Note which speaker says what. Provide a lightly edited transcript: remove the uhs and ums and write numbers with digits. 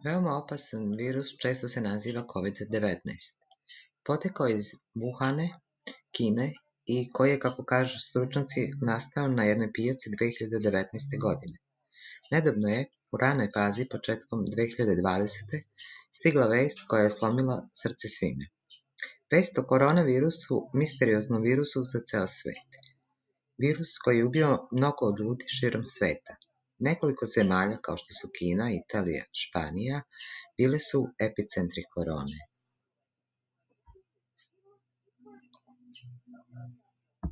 Speaker 1: Veoma opasan virus često se naziva COVID-19. Potekao je iz Vuhana, Kine i koji je, kako kažu stručnjaci, nastao na jednoj pijaci 2019. godine. Nedavno je, u ranoj fazi, početkom 2020. stigla vest koja je slomila srce svima. Vest o koronavirusu, misterioznom virusu za ceo svet. Virus koji je ubio mnogo ljudi širom sveta. Nekoliko zemalja, kao što su Kina, Italija, Španija, bile su epicentri korone.